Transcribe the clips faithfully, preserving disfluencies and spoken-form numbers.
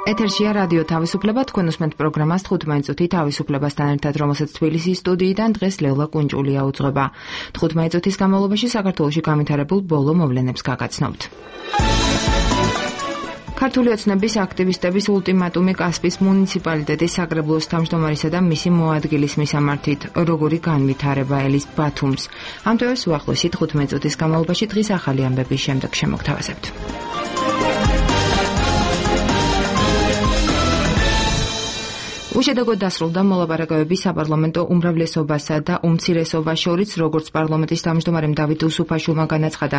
ეთერშია რადიო თავისუფლება, თქვენ უსმენთ პროგრამას თხუთმეტი წუთი თავისუფლებასთან ერთად, რომელსაც თბილისის სტუდიიდან დღეს ლევლა კუნჭულია უძღვება. თხუთმეტი წუთის განმავლობაში საქართველოში განვითარებულ ბოლო მოვლენებს გაგაცნობთ. ქართული ოცნების აქტივისტების ულტიმატუმი კასპის მუნიციპალიტეტის საკრებულოს თავმჯდომარისა და მისი მოადგილის მისამართით, როგორი განვითარება ელის ბათუმს. ამ თემას უახლოესი თხუთმეტი წუთის განმავლობაში დღის ახალი ამბების შემდეგ შემოგთავაზებთ. უშედეგოდ დასრულდა მოლაპარაკებები საპარლამენტო უმრავლესობასა და უმცირესობას შორის, როგორც პარლამენტის თავმჯდომარემ დავით უსუფაშვილმა განაცხადა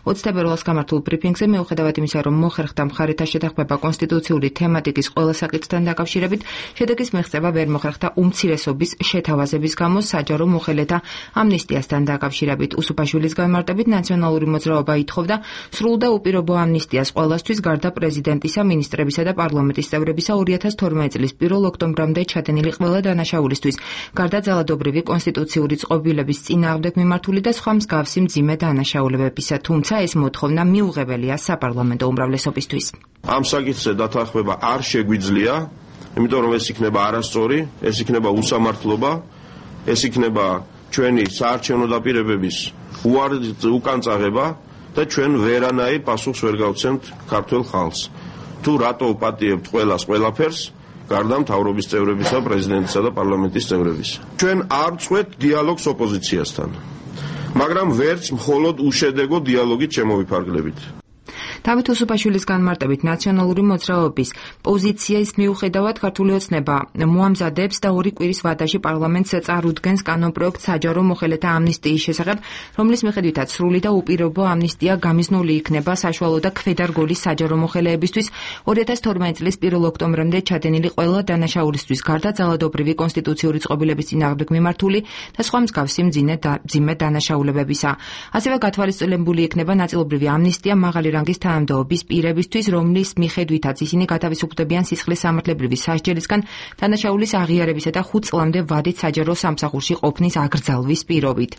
ოცი თებერვალს გამართულ ბრიფინგზე, მიუხედავად იმისა, რომ მოხერხდა მხარეთა შეთანხმება კონსტიტუციური თემატიკის ყველა საკითხთან დაკავშირებით, შედეგის მიღწევა ვერ მოხერხდა უმცირესობის შეთავაზების გამო საჯარო მოხელეთა ამნისტიასთან დაკავშირებით. უსუფაშვილის განმარტებით, ნაციონალური მოძრაობა ითხოვდა სრულ და უპირობო ამნისტიას ყველასთვის, გარდა პრეზიდენტისა, მინისტრებისა და პარლამენტის წევრებისა ორი ათას თორმეტი წლის პირველ ოქტომბერში ჩადენილი ყველა დანაშაულისთვის, გარდა ძალადობრივი კონსტიტუციური წყობილების წინააღმდეგ მიმართული და სხვა მსგავსი მძიმე დანაშაულებებისა, თუმცა ეს მოთხოვნა მიუღებელია საპარლამენტო უმრავლესობისთვის. ამ საკითხზე დათანხმება არ შეგვიძლია, იმიტომ რომ ეს იქნება არასწორი, ეს იქნება უსამართლობა, ეს იქნება ჩვენი საარჩევნო დაპირებების უკანწაღება და ჩვენ ვერანაირ პასუხს ვერ გავცემთ ქართველ ხალხს. თუ რატო ვპატიებთ ყველას ყველაფერს, გარდა მთავრობის წევრებისა, პრეზიდენტისა და პარლამენტის წევრებისა. ჩვენ არ ვწყვეტ დიალოგს ოპოზიციასთან, მაგრამ ვერც მხოლოდ უშედეგო დიალოგით შემოვიფარგლებით. დავით უსუფაშვილის განმარტებით, ნაციონალური მოძრაობის პოზიციის მიუხედავად ქართული ოცნება მოამზადებს და ორი კვირის ვადაში პარლამენტს წარუდგენს კანონპროექტს საჯარო მოხელეთა ამნისტიის შესახებ, რომლის მიხედვითაც სრული და უპირობო ამნისტია გამიზნული იქნება საშუალო და ქვედარგოლის საჯარო მოხელეებისთვის ორი ათას თორმეტი წლის პირველ ოქტომბრამდე ჩადენილი ყველა დანაშაულისთვის, გარდა ძალადობრივი კონსტიტუციური წყობილების წინააღმდეგ მიმართული და სხვა მსგავსი მძიმე დანაშაულებებისა. ასევე გათვალისწინებული იქნება ნაწილობრივი ამნისტია მაღალი რანგის თანამდებობის პირებისთვის, რომლის მიხედვითაც ისინი გათავისუფლდებიან სისხლის სამართლებრივი სასჯელისგან დანაშაულის აღიარებისა და ხუთ წლამდე ვადით საჯარო სამსახურში ყოფნის აგრძალვის პირობით.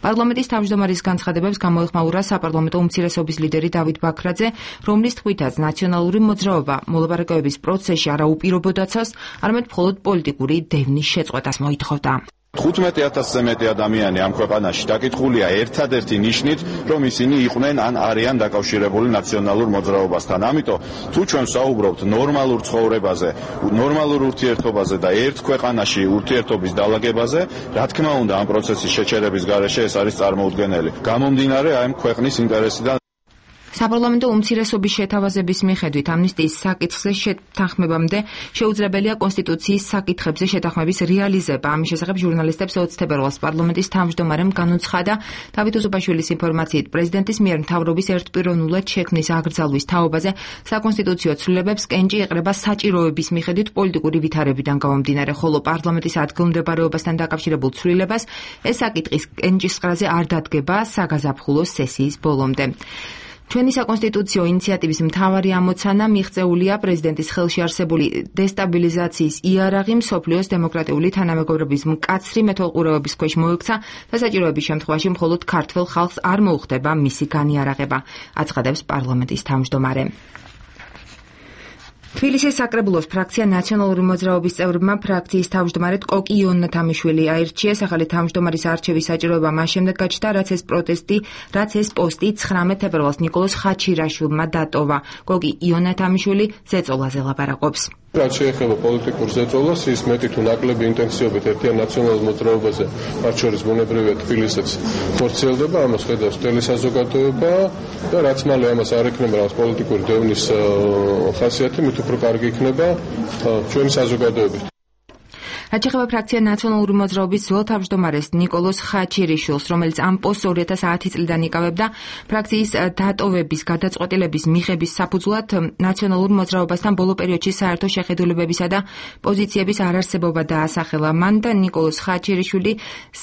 პარლამენტის თავმჯდომარის განცხადებებს გამოეხმაურა საპარლამენტო უმცირესობის ლიდერი დავით ბაქრაძე, რომლის თქმითაც ნაციონალური მოძრაობა მოლაპარაკებების პროცესში არა უპირობოდაცავს, არამედ მხოლოდ პოლიტიკური დევნის შეწყვეტას მოითხოვდა. თხუთმეტი ათასზე მეტი ადამიანი ამ ქვეყანაში დაკითხულია ერთადერთი ნიშნით, რომ ისინი იყვნენ ან არიან დაკავშირებული ნაციონალურ მოძრაობასთან. ამიტომ თუ ჩვენ ვსაუბრობთ ნორმალურ ცხოვრებაზე, ნორმალურ ურთიერთობაზე და ერთ ქვეყანაში ურთიერთობის დაალაგებაზე, რა თქმა უნდა ამ პროცესის შეჩერების გარეშე ეს არის წარმოუდგენელი. გამომდინარე აი ქვეყნის ინტერესიდან. საპარლამენტო უმცირესობის შეთავაზების მიხედვით ამნისტიის საკითხზე შეთანხმებამდე შეუძლებელია კონსტიტუციის საკითხებზე შეთანხმების რეალიზება. ამის შესახებ ჟურნალისტებს ოცი თებერვალს პარლამენტის თავმჯდომარემ განუცხადა. დავით უსუფაშვილის ინფორმაციით, პრეზიდენტის მიერ მთავრობის ერთპიროვნულად შექმნის აკრძალვის თაობაზე საკონსტიტუციო ცვლილებებს კენჭი ეყრება საჭიროების მიხედვით პოლიტიკური ვითარებიდან გამომდინარე, ხოლო პარლამენტის ადგილმდებარეობასთან დაკავშირებულ ცვლილებას ეს საკითხის კენჭისყრაზე არ დადგება საგაზაფხულო სესიის ბოლომდე. ჩვენი საკონსტიტუციო ინიციატივის მთავარი ამოცანა მიღწეულია პრეზიდენტის ხელში არსებული დესტაბილიზაციის იარაღი მსოფლიოს დემოკრატიული თანამეგობრობის მკაცრი მეთვალყურეობის ქვეშ მოექცა და საჭიროების შემთხვევაში მხოლოდ ქართველ ხალხს არ მოუხდება მისი განიარაღება, აცხადებს პარლამენტის თავმჯდომარე. თბილისის საკრებულოს ფრაქცია ნაციონალური მოძრაობის წევრებმა ფრაქციის თავმჯდომარედ კოკი იონათამიშვილი აირჩიეს. ახალი თავმჯდომარის არჩევის საჭიროება მას შემდეგ გაჩნდა, რაც ეს პროტესტი, რაც ეს პოსტი ცხრამეტ თებერვალს ნიკოლოზ ხაჩირაშვილმა დატოვა. კოკი იონათამიშვილი ზეწოლაზე ლაპარაკობს. რაც შეეხება პოლიტიკურ ზეწოლას, ის მეტი თუ ნაკლები ინტენსივობით ერთიან ნაციონალურ მოძრაობაზე, მათ შორის ბუნებრივია თბილისიც ხორციელდება, ამას ხედავს მთელი საზოგადოება და რაც მალე ამას არ ექნება რაღაც პოლიტიკური დევნის ხასიათი, მით უფრო კარგი იქნება ჩვენი საზოგადოებით. რაც შეეხება ფრაქცია ნაციონალური მოძრაობის ძველ თავმჯდომარეს ნიკოლოზ ხაჩირიშვილს, რომელიც ამ პოსტს ორი ათას ათი წლიდან იკავებდა, ფრაქციის დატოვების გადაწყვეტილების მიღების საფუძვლად ნაციონალურ მოძრაობასთან ბოლო პერიოდში საერთო შეხედულებებისა და პოზიციების არარსებობა დაასახელა. მან და ნიკოლოზ ხაჩირიშვილი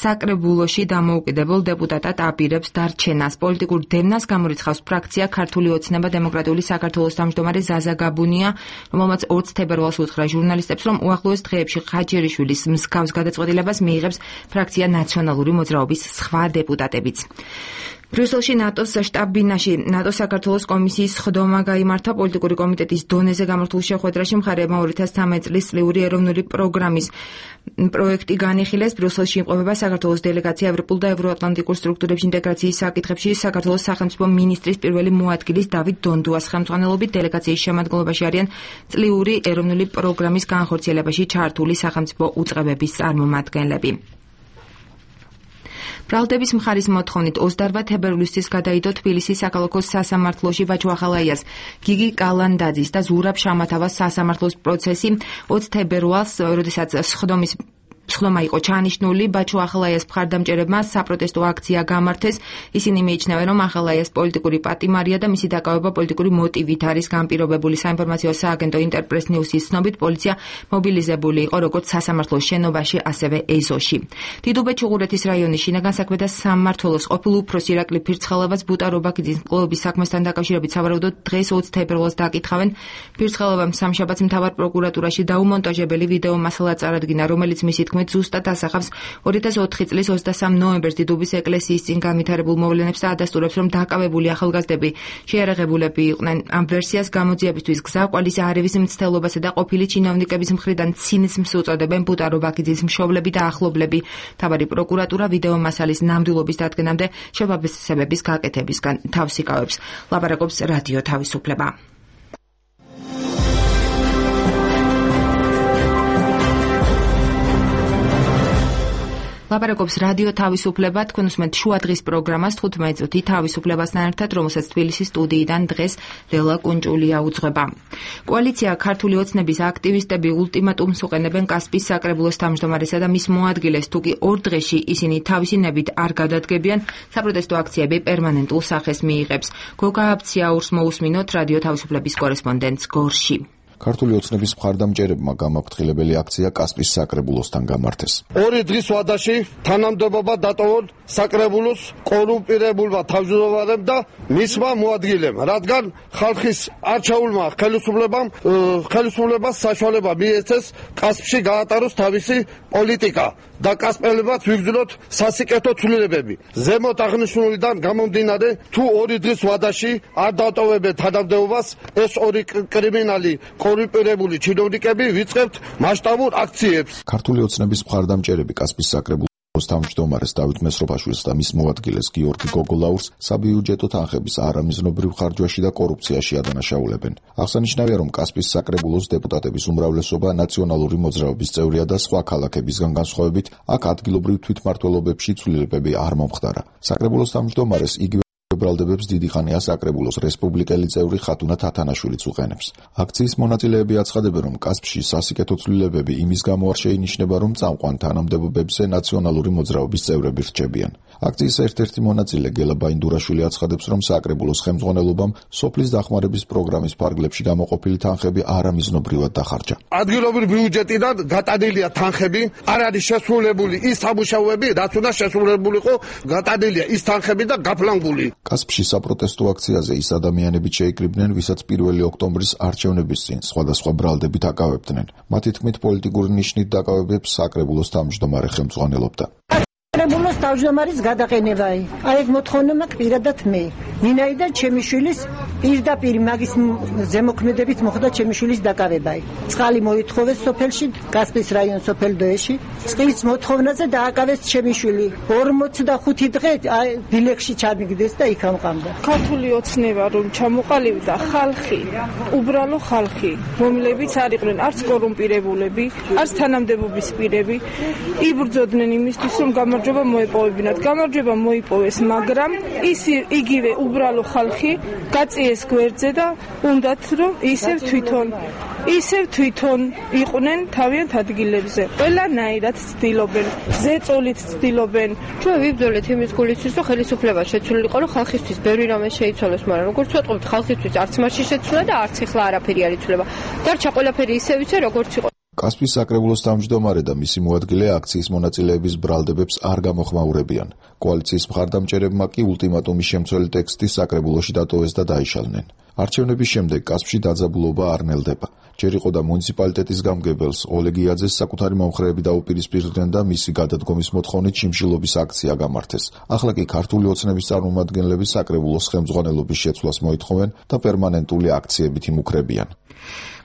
საკრებულოში დამოუკიდებელ დეპუტატად აპირებს დარჩენას. პოლიტიკურ დევნას გამორიცხავს ფრაქცია ქართული ოცნება დემოკრატიული საქართველოს თავმჯდომარე ზაზა გაბუნია, რომელმაც ოცი თებერვალს უთხრა ჟურნალისტებს, რომ უახლოეს დღეებში ხაჩირიშვილის მსგავს გადაწყვეტილებას მიიღებს ფრაქცია ნაციონალური მოძრაობის სხვა დეპუტატებიც. ბრიუსელში ნატოს შტაბ-ბინაში ნატოს საქართველოს კომისიის ხდომა გაიმართა პოლიტიკური კომიტეტის დონეზე გამართულ შეხვედრაში მხარეებმა ორი ათას ცხრამეტი წლის წლიური ეროვნული პროგრამის პროექტი განიხილეს. ბრიუსელში იმყოფება საქართველოს დელეგაცია ევროპულ და ევროატლანტიკურ სტრუქტურებში ინტეგრაციის საკითხებში საქართველოს სახელმწიფო მინისტრის პირველი მოადგილის დავით დონდუას ხელმძღვანელობით დელეგაციის შემადგენლობაში არიან წლიური ეროვნული პროგრამის განხორციელებაში ჩართული სახელმწიფო უწყებების წარმომადგენლები. ბრალდების მხარის მოთხოვნით ოცდაორ თებერვლისთვის გადაიდო თბილისის საქალაქო სასამართლოში ვაჩო ახალაიას, გიგი კალანდაძის და ზურაბ შამათავას სასამართლოს პროცესი ოცი თებერვალს, როდესაც სხდომის სხდომა იყო ჩაანიშნული, ბაჩო ახალაიას მხარდამჭერებმა საპროტესტო აქცია გამართეს. ისინი მიიჩნევენ, რომ ახალაიას პოლიტიკური პატიმარია და მისი დაკავება პოლიტიკური მოტივით არის განპირობებული. საინფორმაციო სააგენტო ინტერპრეს ნიუსის ცნობით, პოლიცია მობილიზებული იყო როგორც სასამართლოს შენობაში, ასევე ეზოში. დიდუბეთ-ჩუღურეთის რაიონის შინაგან საქმეთა სამმართველოს ყოფილ უფროსი ირაკლი ფირცხალოვას ბუტა რობაქიძის მკვლელობის საქმესთან დაკავშირებით სავარაუდოდ დღეს ოცი თებერვალს დაკითხავენ. ფირცხალოვამ სამშაბათს მთავარ პროკურატურაში დაუმონტაჟებელი ვიდეო მასალა წარადგინა, რომელიც მისი თქმით ზუსტად ასახავს ორი ათას ოთხი წლის ოცდასამ ნოემბერს დიდუბის ეკლესიის წინ განვითარებულ მოვლენებს და ადასტურებს, რომ დაკავებული ახალგაზრდები შეიარაღებულები იყვნენ. ამ ვერსიას გამოძიებისთვის გზაკვალის არევის მცდელობასა და ყოფილი ჩინოვნიკების მხრიდან ცინიზმს უწოდებენ ბუტა რობაქიძის მშობლები და ახლობლები. მთავარი პროკურატურა ვიდეო მასალის ნამდვილობის დადგენამდე შეფასებების გაკეთებისგან თავს იკავებს. ლაპარაკობს რადიო თავისუფლება. ლაპარაკობს რადიო თავისუფლება, თქვენ უსმენთ შუა დღის პროგრამას თხუთმეტი წუთი თავისუფლებასთან ერთად, რომელსაც თბილისის სტუდიიდან დღეს ლელა კუნჭულია უძღვება. კოალიცია ქართული ოცნების აქტივისტები ულტიმატუმს უყენებენ კასპიის საკრებულოს თავმჯდომარესა და მის მოადგილეს, თუკი ორ დღეში ისინი თავისი ნებით არ გადადგებიან, საპროტესტო აქციები პერმანენტულ სახეს მიიღებს. გოგა აბციაურს მოусმინოთ რადიო თავისუფლების კორესპონდენტს გორში. ქართული ოცნების მხარდამჭერებმა გამაფრთხილებელი აქცია კასპიის საკრებულოსთან გამართეს. ორი დღის ვადაში თანამდებობა დატოვონ საკრებულოს კორუმპირებულმა თავმჯდომარემ და მისმა მოადგილემ, რადგან ხალხის არჩეულმა ხელისუფლებამ ხელისუფლებას საშუალება მიეცეს კასპში გაატაროს თავისი პოლიტიკა და კასპელებად ვიგრძნოთ სასიკეთო ცვლილებები. ზემოთ აღნიშნულიდან გამომდინარე, თუ ორი დღის ვადაში არ დატოვებენ თანამდებობას, ეს ორი კრიმინალი კორუმპირებული ჩინოვნიკები ვიწყებთ მასშტაბურ აქციებს. ქართული ოცნების მხარდამჭერები კასპიის საკრებულოს თავმჯდომარეს დავით მესროპაშვილს და მის მოადგილეს გიორგი გოგოლაურს საბიუჯეტო თანხების არამიზნობრივ ხარჯვაში და კორუფციაში ადანაშაულებენ. აღსანიშნავია, რომ კასპიის საკრებულოს დეპუტატების უმრავლესობა ნაციონალური მოძრაობის წევრია და სხვა ქალაქებისგან განსხვავებით, აქ ადგილობრივ თვითმმართველობებში ცვლილებები არ მომხდარა. საკრებულოს თავმჯდომარეს იგივე ბრალდებებს დიდი ხანია საკრებულოს რესპუბლიკელი წევრი ხათუნა თათანაშვილიც უყენებს. აქციის მონაწილეები აცხადებენ, რომ კასპში სასიკეთო ცვლილებები იმის გამო არ შეინიშნება, რომ წამყვან თანამდებობებზე ნაციონალური მოძრაობის წევრები რჩებიან. აქციის ერთ-ერთი მონაწილე გელა ბაინდურაშვილი აცხადებს, რომ საკრებულოს ხელმძღვანელობამ სოფლის დახმარების პროგრამის ფარგლებში გამოყოფილი თანხები არამიზნობრივად დახარჯა. ადგილობრივი ბიუჯეტიდან გატანილია თანხები, არ არის შესრულებული ის სამუშაოები, რაც უნდა შესრულებულიყო, გატანილია ის თანხები და გაფლანგული. კასპში საპროტესტო აქციაზე ის ადამიანები შეიკრიბნენ, ვისაც პირველი ოქტომბრის არჩევნების წინ სხვადასხვა ბრალდებით აკავებდნენ. მათი თქმით, პოლიტიკური ნიშნით დაკავებებს საკრებულოს თავმჯდომარე ხელმძღვანელობდა. საკრებულოს თავმჯდომარის გადაყენებაა. აი ეს მოთხოვნა მაქვს პირადად მე. ვინაიდან ჩემი შვილის პირდაპირ მაგის ზემოქმედებით მოხდა ჩემი შვილის დაკავება. წყალი მოითხოვეს სოფელში, კასპიის რაიონ სოფელ დოეში. წყლის მოთხოვნაზე დააკავეს ჩემი შვილი. ორმოცდახუთი დღე დილეგში ჩამიგდეს და იქ ამყამდა. ქართული ოცნება რომ ჩამოყალიბდა ხალხი, უბრალო ხალხი, რომლებიც არ იყვნენ არც კორუმპირებულები, არც თანამდებობის პირები, იბრძოდნენ იმისთვის, რომ გამარჯვება მოეპოვებინათ. გამარჯვება მოიპოვეს, მაგრამ ის იგივე უბრალო ხალხი გაწიეს გვერდზე და უნდათ რომ ისევ თვითონ ისევ თვითონ იყვნენ თავიანთ ადგილებზე. ყველანაირად ცდილობენ, ზეწოლით ცდილობენ. ჩვენ ვიბრძოლეთ იმის გულისთვის, რომ ხელისუფლება შეცვლილიყო, რომ ხალხისთვის ბევრი რამე შეიცვალოს, მაგრამ როგორც ვეტყობთ, ხალხისთვის არც მასში შეცვლა და არც ახლა არაფერი არ იცვლება. დარჩა ყველაფერი ისევ იცე, როგორც იყო. კასპიის საკრებულოს თავმჯდომარე და მისი მოადგილე აქციის მონაწილეების ბრალდებებს არ გამოხმაურებიან. კოალიციის მხარდამჭერებმა კი ულტიმატუმის შემცველი ტექსტი საკრებულოში დატოვეს და დაიშალნენ. არჩევნების შემდეგ კასპში დაძაბულობა არ ნელდება. ჯერ იყო და მუნიციპალიტეტის გამგებელს ოლეგ იაძეს საკუთარი მომხრეები დაუპირისპირდნენ და მისი გადადგომის მოთხოვნით შიმშილობის აქცია გამართეს. ახლა კი ქართული ოცნების წარმომადგენლები საკრებულოს ხელმძღვანელობის შეცვლას მოითხოვენ და პერმანენტული აქციებით იმუქრებიან.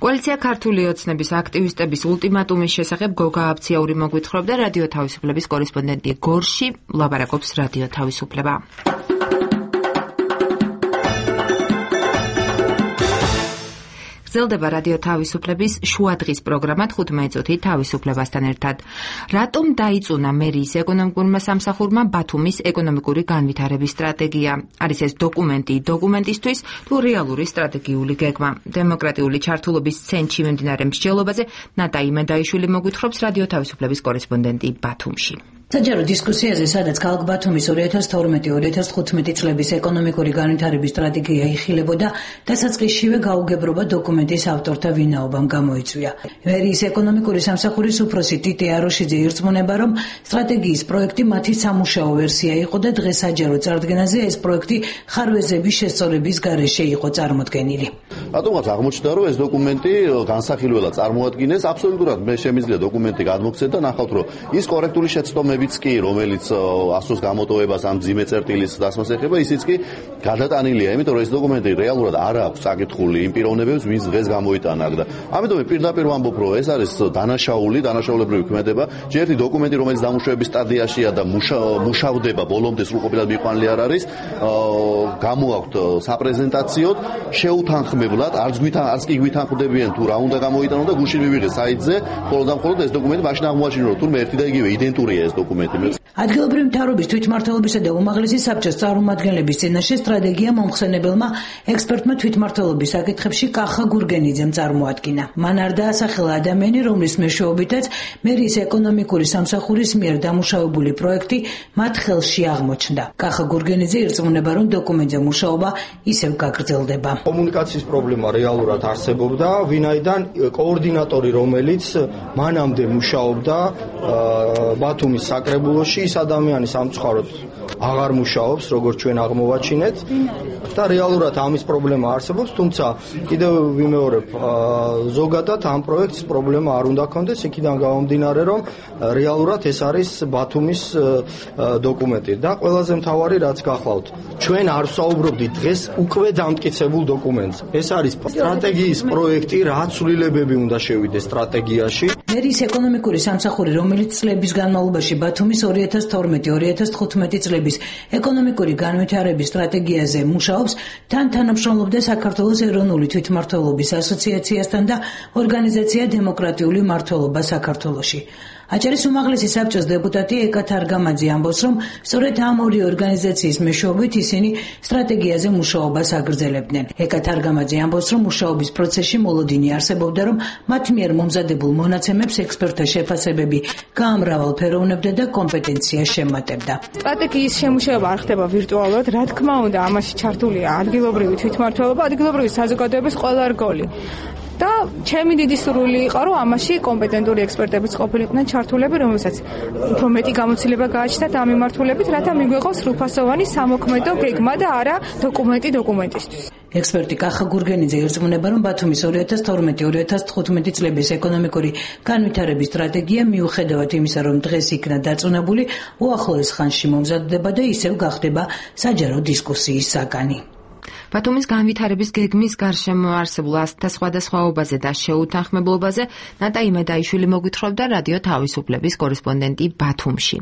კოალიცია ქართული ოცნების აქტივისტების ულტიმატუმის შესახებ გოგა აბციაური მოგვითხრობდა რადიო თავისუფლების კორესპონდენტი გორში, ლაბარაკობს რადიო თავისუფლება. გრძელდება რადიო თავისუფლების შუადღის პროგრამა თხუთმეტი წუთი თავისუფლებასთან ერთად. რატომ დაიწუნა მერიის ეკონომიკურმა სამსახურმა ბათუმის ეკონომიკური განვითარების სტრატეგია? არის ეს დოკუმენტი დოკუმენტისთვის თუ რეალური სტრატეგიული გეგმა? დემოკრატიული ჩართულობის ცენტრში მიმდინარე მსჯელობაზე ნატა იმედაიშვილი მოგვითხრობს რადიო თავისუფლების კორესპონდენტი ბათუმში. საჯარო დისკუსიაზე, სადაც ქალაქ ბათუმის ორი ათას თორმეტი ორი ათას თხუთმეტი წლების ეკონომიკური განვითარების სტრატეგია იხილებოდა, დასაწყისშივე გაუგებრობა დოკუმენტის ავტორთა ვინაობამ გამოიწვია. მერიის ეკონომიკური სამსახურის უფროსი ტიტე აროშიძე ირწმუნება, რომ სტრატეგიის პროექტი მათი სამუშაო ვერსია იყო და დღეს საჯარო წარდგენაზე ეს პროექტი ხარვეზების შესწორების გარეშე იყო წარმოდგენილი. რატომღაც აღმოჩნდა, რომ ეს დოკუმენტი განსახილველად წარმოადგინეს, აბსოლუტურად მე შემიძლია დოკუმენტი გადმოგცეთ და ნახავთ, რომ ის კორექტული შეცდომები კი, რომელიც ასოს გამოტოვებას ამ ძიმე წერტილის დასმას ეხება, ისიც კი გადატანილია, იმიტომ რომ ეს დოკუმენტი რეალურად არ აქვს წაკითხული იმ პიროვნებებს, ვინც დღეს გამოიტანა აქ და ამიტომ პირდაპირ ვამბობ, რომ ეს არის დანაშაული, დანაშაულებრივი ქმედება, ჯერ ერთი დოკუმენტი, რომელიც დამუშავების სტადიაშია და მუშავდება ბოლომდე სრულყოფილად მიყვანილი არ არის, გამოაქვთ საპრეზენტაციოდ, შეუთანხმებლად, არც გვითან, არც კი გვითანხმდებიან თუ რა უნდა გამოიტანო და გუშინ მივიღეს საიტზე, მხოლოდ და მხოლოდ ეს დოკუმენტი მაშინ აღმოაჩინე, რომ თურმე ერთი და იგივე იდენტურია ეს დოკუმენტი. ადგილობრივი მთავრობის თვითმმართველობისა და უმაღლესი საბჭოს წარმომადგენლების წინაშე სტრატეგია მომხსენებელმა ექსპერტმა თვითმმართველობის საკითხებში კახა გურგენიძემ წარმოადგინა. მან არ დაასახელა ადამიანი, რომლის მეშვეობითაც მერიის ეკონომიკური სამსახურის მიერ დამუშავებული პროექტი მათ ხელში აღმოჩნდა. კახა გურგენიძე ირწმუნება, რომ დოკუმენტზე მუშაობა ისევ გაგრძელდება. კომუნიკაციის პრობლემა რეალურად არსებობდა, ვინაიდან კოორდინატორი, რომელიც მანამდე მუშაობდა ბათუმის საკრებულოში, ის ადამიანი სამწუხაროდ აღარ მუშაობს, როგორც ჩვენ აღმოვაჩინეთ და რეალურად ამის პრობლემა არსებობს, თუმცა კიდევ ვიმეორებ, ზოგადად ამ პროექტის პრობლემა არ უნდა ქონდეს, იქიდან გამომდინარე, რომ რეალურად ეს არის ბათუმის დოკუმენტი და ყველაზე მთავარი რაც გახლავთ, ჩვენ არ ვსაუბრობდით დღეს უკვე დამტკიცებულ დოკუმენტზე. ეს არის სტრატეგიის პროექტი, რაც ცვლილებები უნდა შევიდეს სტრატეგიაში. მერიის ეკონომიკური სამსახური, რომელიც წლების განმავლობაში ბათუმის ორი ათას თორმეტი ორი ათას თხუთმეტი წლების ეკონომიკური განვითარების სტრატეგიაზე მუშაობს, თან თანამშრომლობდა საქართველოს ეროვნული თვითმმართველობის ასოციაციასთან და ორგანიზაცია დემოკრატიული მმართველობა საქართველოში. აჭარის უმაღლესი საბჭოს დეპუტატი ეკა თარგამაძე ამბობს, რომ სწორედ ამ ორი ორგანიზაციის მეშვეობით ისინი სტრატეგიაზე მუშაობას აგრძელებდნენ. ეკა თარგამაძე ამბობს, რომ მუშაობის პროცესში მოლოდინი არსებობდა, რომ მათ მიერ მომზადებულ მონაცემებს ექსპერტთა შეფასებები გაამრავალფეროვნებდა და კომპეტენცია შემატებდა. სტრატეგიის შემუშავება არ ხდება ვირტუალურად, რა თქმა უნდა, ამაში ჩართულია ადგილობრივი თვითმმართველობა, ადგილობრივი საზოგადოების ყველა რგოლი. და ჩემი დიდი სურვილი იყო, რომ ამაში კომპეტენტური ექსპერტებიც ყოფილიყვნენ ჩართულები, რომელსაც უფრო მეტი გამოცდილება გააჩნდათ ამ მიმართულებით, რათა მიგვეღოს სრულფასოვანი სამოქმედო გეგმა და არა დოკუმენტი დოკუმენტისთვის. ექსპერტი კახა გურგენიძე ირწმუნება, რომ ბათუმის ორი ათას თორმეტი ორი ათას თხუთმეტი წლების ეკონომიკური განვითარების სტრატეგია მიუხედავად იმისა, რომ დღეს იქნა დაწუნებული, უახლოეს ხანში მომზადდება და ისევ გახდება საჯარო დისკუსიის საგანი. ბათუმის განვითარების გეგმის გარშემო არსებულ ასთა სხვადასხვაობაზე და შეუთანხმებლობაზე ნატა იმედაიშვილი მოგვითხრობდა რადიო თავისუფლების კორესპონდენტი ბათუმში.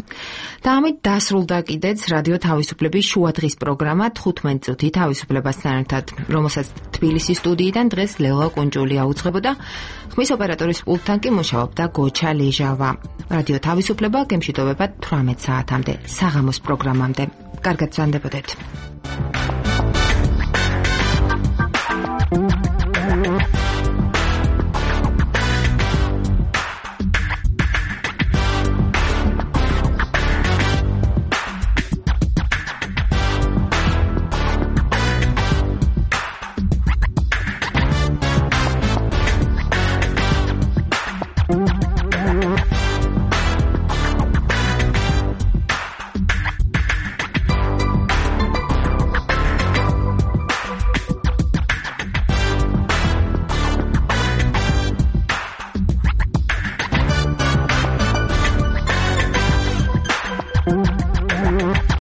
და ამით დასრულდა კიდეც რადიო თავისუფლების შუადღის პროგრამა თხუთმეტი წუთი თავისუფლებასთან ერთად, რომელსაც თბილისის სტუდიიდან დღეს ლელა კუნჭულია უძღვებოდა, ხმის ოპერატორის პულტთან კი მუშაობდა გოჩა ლეჟავა. რადიო თავისუფლება გემშვიდობებად თვრამეტ საათამდე, საღამოს პროგრამამდე. კარგად ვსვანდებოდეთ.